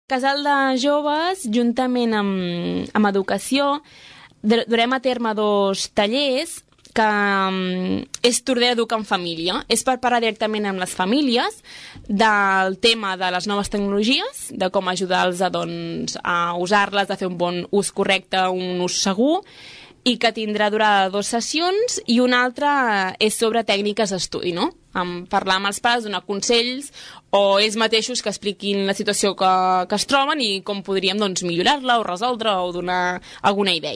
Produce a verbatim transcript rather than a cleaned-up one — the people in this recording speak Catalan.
Casal de Joves, juntament amb, amb Educació, durem a terme dos tallers que um, és Tordera Educa en Família. És per parlar directament amb les famílies del tema de les noves tecnologies, de com ajudar-los a, doncs, a usar-les, a fer un bon ús correcte, un ús segur, i que tindrà durada dues sessions, i una altra és sobre tècniques d'estudi, no? Um, parlar amb els pares, donar consells, o ells mateixos que expliquin la situació que, que es troben i com podríem doncs, millorar-la o resoldre o donar alguna idea.